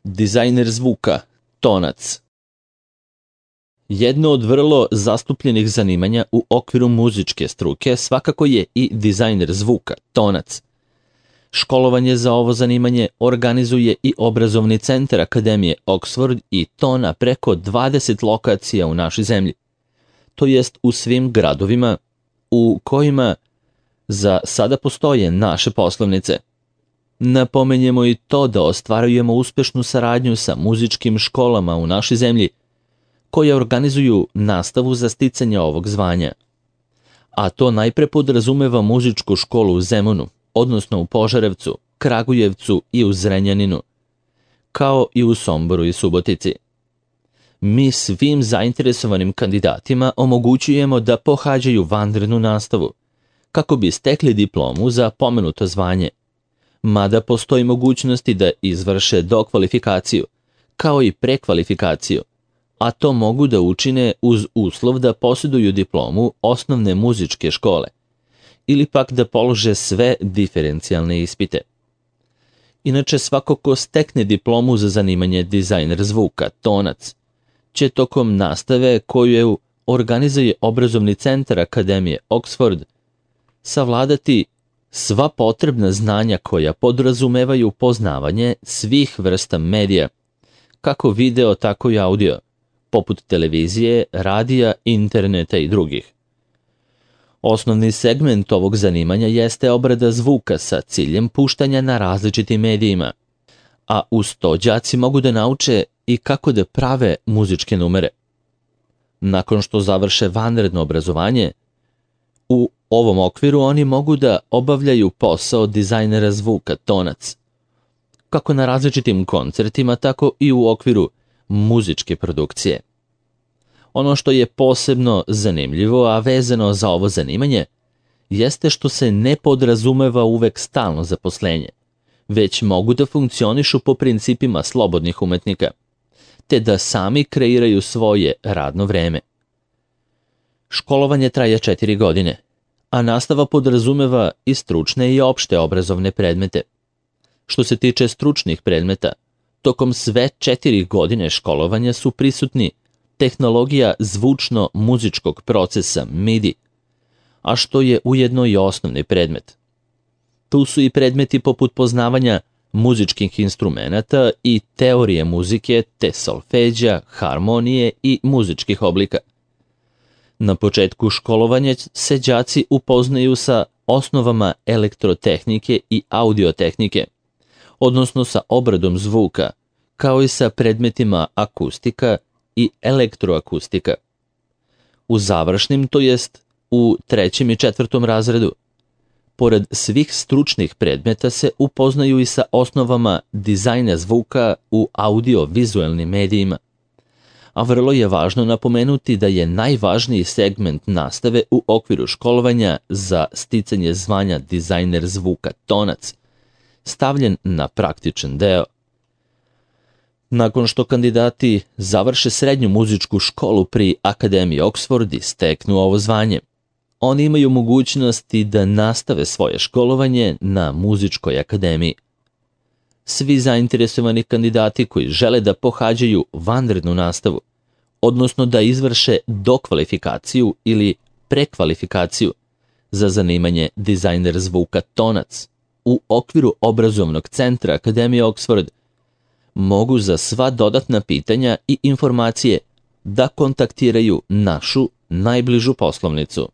Dizajner zvuka, tonac. Jedno od vrlo zastupljenih zanimanja u okviru muzičke struke svakako je i dizajner zvuka, tonac. Školovanje za ovo zanimanje organizuje i obrazovni centar Akademije Oxford i to na preko 20 lokacija u našoj zemlji. To jest u svim gradovima u kojima za sada postoje naše poslovnice. Napomenjemo i to da ostvarujemo uspešnu saradnju sa muzičkim školama u našoj zemlji, koje organizuju nastavu za sticanje ovog zvanja. A to najpre podrazumeva muzičku školu u Zemunu, odnosno u Požarevcu, Kragujevcu i u Zrenjaninu, kao i u Somboru i Subotici. Mi svim zainteresovanim kandidatima omogućujemo da pohađaju vanrednu nastavu, kako bi stekli diplomu za pomenuto zvanje, mada postoji mogućnosti da izvrše dokvalifikaciju, kao i prekvalifikaciju, a to mogu da učine uz uslov da posjeduju diplomu osnovne muzičke škole ili pak da polože sve diferencijalne ispite. Inače, svako ko stekne diplomu za zanimanje dizajner zvuka, tonac, će tokom nastave koju organizuje obrazovni centar Akademije Oxford savladati sva potrebna znanja koja podrazumevaju poznavanje svih vrsta medija, kako video, tako i audio, poput televizije, radija, interneta i drugih. Osnovni segment ovog zanimanja jeste obrada zvuka sa ciljem puštanja na različitim medijima, a uz to đaci mogu da nauče i kako da prave muzičke numere. Nakon što završe vanredno obrazovanje, u ovom okviru oni mogu da obavljaju posao dizajnera zvuka, tonac, kako na različitim koncertima, tako i u okviru muzičke produkcije. Ono što je posebno zanimljivo, a vezano za ovo zanimanje, jeste što se ne podrazumeva uvek stalno zaposlenje, već mogu da funkcionišu po principima slobodnih umetnika, te da sami kreiraju svoje radno vreme. Školovanje traje 4 godine, a nastava podrazumeva i stručne i opšte obrazovne predmete. Što se tiče stručnih predmeta, tokom sve 4 godine školovanja su prisutni tehnologija zvučno-muzičkog procesa MIDI, a što je ujedno i osnovni predmet. Tu su i predmeti poput poznavanja muzičkih instrumenata i teorije muzike, te solfeđa, harmonije i muzičkih oblika. Na početku školovanja se đaci upoznaju sa osnovama elektrotehnike i audiotehnike, odnosno sa obradom zvuka, kao i sa predmetima akustika i elektroakustika. U završnim, to jest u 3. i 4. razredu, pored svih stručnih predmeta se upoznaju i sa osnovama dizajna zvuka u audio-vizuelnim medijima. A vrlo je važno napomenuti da je najvažniji segment nastave u okviru školovanja za sticanje zvanja dizajner zvuka, tonac, stavljen na praktičan deo. Nakon što kandidati završe srednju muzičku školu pri Akademiji Oxford i steknu ovo zvanje, oni imaju mogućnosti da nastave svoje školovanje na muzičkoj akademiji. Svi zainteresovani kandidati koji žele da pohađaju vanrednu nastavu, odnosno da izvrše dokvalifikaciju ili prekvalifikaciju za zanimanje dizajner zvuka, tonac, u okviru obrazovnog centra Akademije Oxford, mogu za sva dodatna pitanja i informacije da kontaktiraju našu najbližu poslovnicu.